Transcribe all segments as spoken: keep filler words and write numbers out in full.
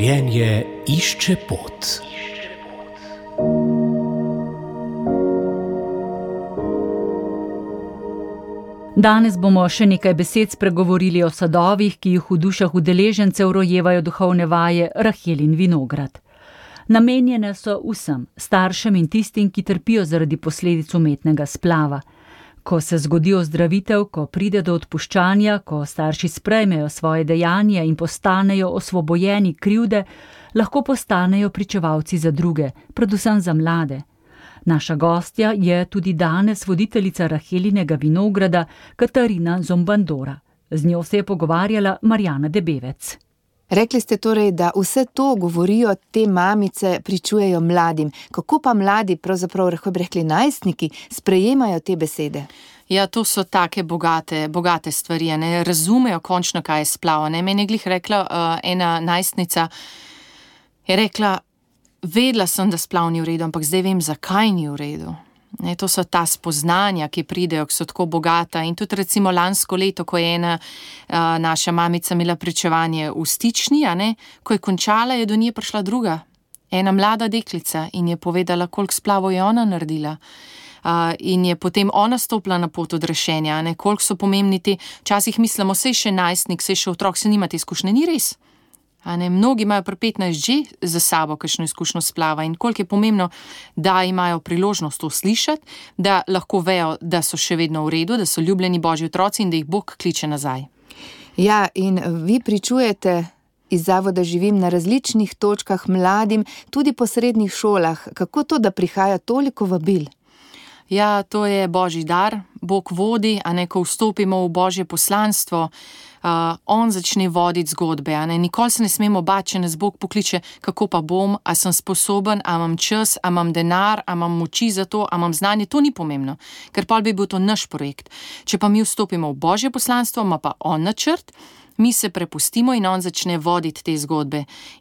Življenje išče pot. Danes bomo še nekaj besed spregovorili o sadovih, ki jih v dušah udeležencev rojevajo duhovne vaje Rahelin vinograd. Namenjene so vsem, staršem in tistim, ki trpijo zaradi posledic umetnega splava. Ko se zgodi ozdravitev, ko pride do odpuščanja, ko starši sprejmejo svoje dejanje in postanejo osvobojeni krivde, lahko postanejo pričevalci za druge, predvsem za mlade. Naša gostja je tudi danes voditeljica Rahelinega vinograda Katarina Zombandora. Z njo se je pogovarjala Marjana Debevec. Rekli ste torej, da vse to govorijo te mamice, pričujejo mladim. Kako pa mladi, pravzaprav lahko bi rekli najstniki, sprejemajo te besede? Ja, to so take bogate, bogate stvari, ne razumejo končno, kaj je splav. Ne, meni je glih rekla uh, ena najstnica, je rekla, vedela sem, da splav ni v redu, ampak zdaj vem, zakaj ni v redu. Ne, to so ta spoznanja, ki pridejo, ki so tako bogata. In tudi recimo lansko leto, ko je ena uh, naša mamica imela pričevanje v Stični, a ne, ko je končala, je do nje prišla druga, ena mlada deklica in je povedala, koliko splavov je ona naredila. Uh, in je potem ona stopila na pot odrešenja, ne, koliko so pomembni ti, včasih mislimo, sej še najstnik, sej še otrok, se nima te izkušnje, ni res. A ne, mnogi imajo pri petnajst že za sabo kakšno izkušnjo splava in koliko je pomembno, da imajo priložnost to slišati, da lahko vejo, da so še vedno v redu, da so ljubljeni Božji otroci in da jih Bog kliče nazaj. Ja, in vi pričujete iz Zavoda Živim na različnih točkah mladim, tudi po srednjih šolah. Kako to, da prihaja toliko vabil? Ja, to je Božji dar, Bog vodi, a ne, ko vstopimo v Božje poslanstvo, Uh, on začne voditi zgodbe, a ne, nikoli se ne smemo bati, če nas Bog pokliče, kako pa bom, a sem sposoben, a imam čas, a imam denar, a imam moči za to, a imam znanje, to ni pomembno, ker pa bi bil to naš projekt. Če pa mi vstopimo v Božje poslanstvo, ima pa on načrt, mi se prepustimo in on začne voditi te zgodbe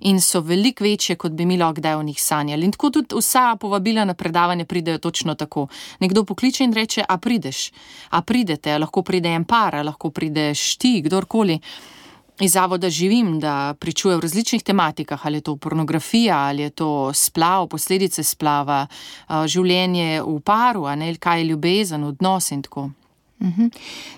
in so veliko večje, kot bi mi lahko kdaj v njih sanjali. In tako tudi vsa povabila na predavanje pridejo točno tako. Nekdo pokliče in reče, a prideš, a pridete, a lahko pride en par, a lahko prideš ti, kdorkoli. Iz Zavoda Živim, da pričuje v različnih tematikah, ali je to pornografija, ali je to splav, posledice splava, življenje v paru, a ne, kaj je ljubezen, odnos in tako. Uhum.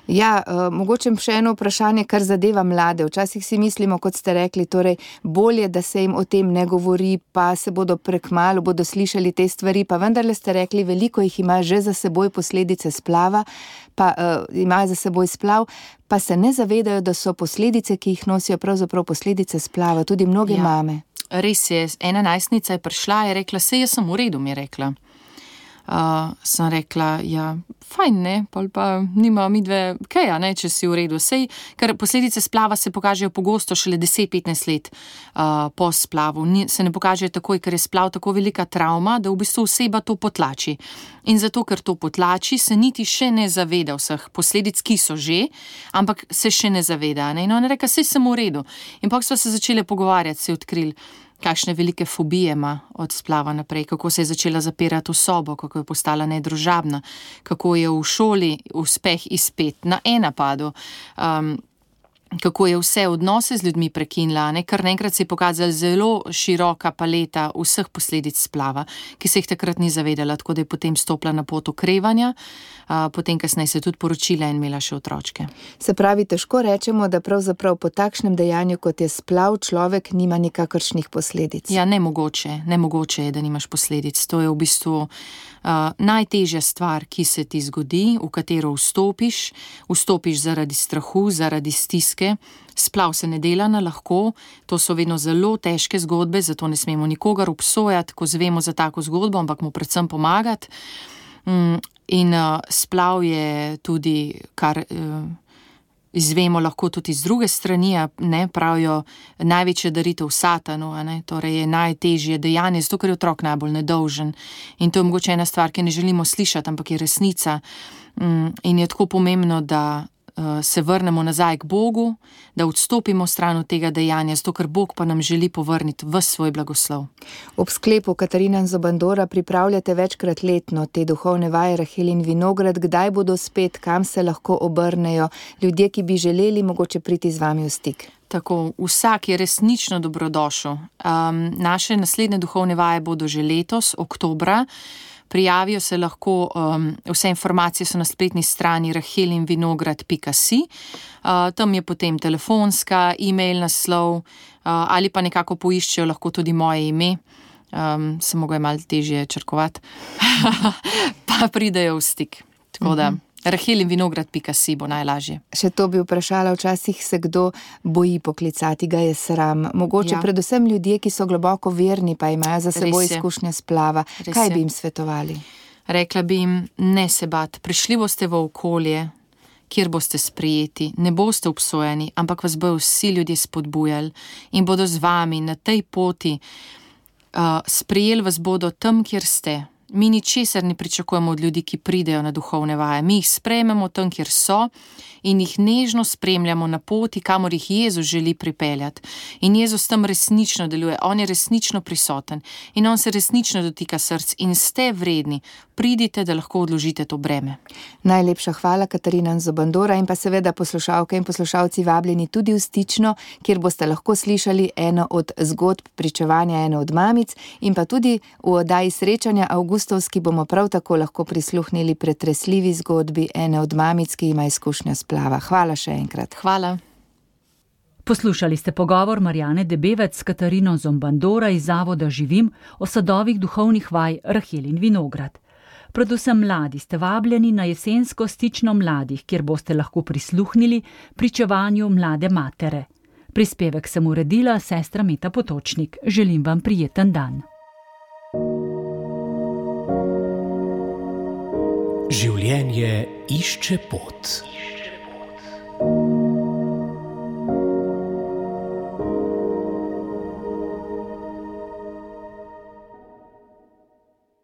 Ja, uh, mogoče še eno vprašanje, kar zadeva mlade. Včasih si mislimo, kot ste rekli, torej bolje, da se jim o tem ne govori, pa se bodo prekmalu, bodo slišali te stvari, pa vendarle ste rekli, veliko jih ima že za seboj posledice splava, pa uh, imajo za seboj splav, pa se ne zavedajo, da so posledice, ki jih nosijo, pravzaprav posledice splava, tudi mnoge ja. mame. Res je, ena najstnica je prišla, je rekla, sej jaz sem v redu, mi je rekla. Uh, sem rekla, ja, fajn, ne, pa, pa nima midve kaj, ne, če si v redu. Sej, ker posledice splava se pokažejo pogosto šele deset petnajst let uh, po splavu. Ni, se ne pokažejo takoj, ker je splav tako velika travma, da v bistvu oseba to potlači. In zato, ker to potlači, se niti še ne zaveda vseh posledic, ki so že, ampak se še ne zaveda. Ne? In ona reka, sej sem v redu. In pa smo se začeli pogovarjati, se odkrili, kakšne velike fobije ima od splava naprej, kako se je začela zapirati v sobo, kako je postala nedružabna, kako je v šoli uspeh izpet na enapadu, um, kako je vse odnose z ljudmi prekinila, ne? Kar naenkrat se je pokazala zelo široka paleta vseh posledic splava, ki se jih takrat ni zavedala, tako da je potem stopila na pot okrevanja, uh, potem kasneje se je tudi poročila in imela še otročke. Se pravi, težko rečemo, da pravzaprav po takšnem dejanju, kot je splav, človek nima nikakršnih posledic. Ja, nemogoče, nemogoče je, da nimaš posledic. To je v bistvu uh, najtežja stvar, ki se ti zgodi, v katero vstopiš, vstopiš zaradi strahu, zaradi stiske. Splav se ne dela na lahko, to so vedno zelo težke zgodbe, zato ne smemo nikogar obsojati, ko zvemo za tako zgodbo, ampak mu predvsem pomagati. In uh, splav je tudi, kar uh, izvemo lahko tudi iz druge strani, ne, pravijo največja daritev satanu, a ne, torej je najtežje dejanje, zato ker je otrok najbolj nedolžen. In to je mogoče ena stvar, ki ne želimo slišati, ampak je resnica. In je tako pomembno, da uh, se vrnemo nazaj k Bogu, da odstopimo stran od tega dejanja, zato ker Bog pa nam želi povrniti v svoj blagoslov. Ob sklepu Katarina Zobandora pripravljate večkrat letno te duhovne vaje Rahel in Vinograd. Kdaj bodo spet, kam se lahko obrnejo ljudje, ki bi želeli mogoče priti z vami v stik? Tako, vsak je resnično dobrodošel. Um, naše naslednje duhovne vaje bodo že letos, oktobra. Prijavijo se lahko, um, vse informacije so na spletni strani rahel in vinograd pika si. Uh, tam je potem telefonska, e-mail naslov uh, ali pa nekako poiščejo lahko tudi moje ime. Um, se mogo je malo težje črkovati. Pa pridejo v stik. Tako da... Uh-huh. rahel in vinograd pika si bo najlažje. Še to bi vprašala, včasih se kdo boji poklicati, ga je sram. Mogoče ja. Predvsem ljudje, ki so globoko verni, pa imajo za seboj izkušnje splava. Res Kaj je. Bi jim svetovali? Rekla bi jim, ne se bat, prišli boste v okolje, kjer boste sprejeti, ne boste obsojeni, ampak vas bojo vsi ljudje spodbujali in bodo z vami na tej poti. Uh, sprejeli vas bodo tam, kjer ste. Mi ničesar ne pričakujemo od ljudi, ki pridejo na duhovne vaje. Mi jih sprejmemo tam, kjer so in jih nežno spremljamo na poti, kamor jih Jezus želi pripeljati. In Jezus tam resnično deluje, on je resnično prisoten in on se resnično dotika src in ste vredni. Pridite, da lahko odložite to breme. Najlepša hvala, Katarina Zobandora, in pa seveda poslušalke in poslušalci vabljeni tudi v Stično, kjer boste lahko slišali eno od zgodb pričevanja ene od mamic in pa tudi v oddaji Srečanja avgustovski bomo prav tako lahko prisluhnili pretresljivi zgodbi ene od mamic, ki ima izkušnjo splava. Hvala še enkrat. Hvala. Poslušali ste pogovor Marjane Debevec s Katarino Zobandora iz Zavoda Živim o sadovih duhovnih vaj Rahel in Vinograd. Predvsem mladi ste vabljeni na jesensko Stično mladih, kjer boste lahko prisluhnili pričevanju mlade matere. Prispevek sem uredila sestra Meta Potočnik. Želim vam prijeten dan. Življenje išče pot.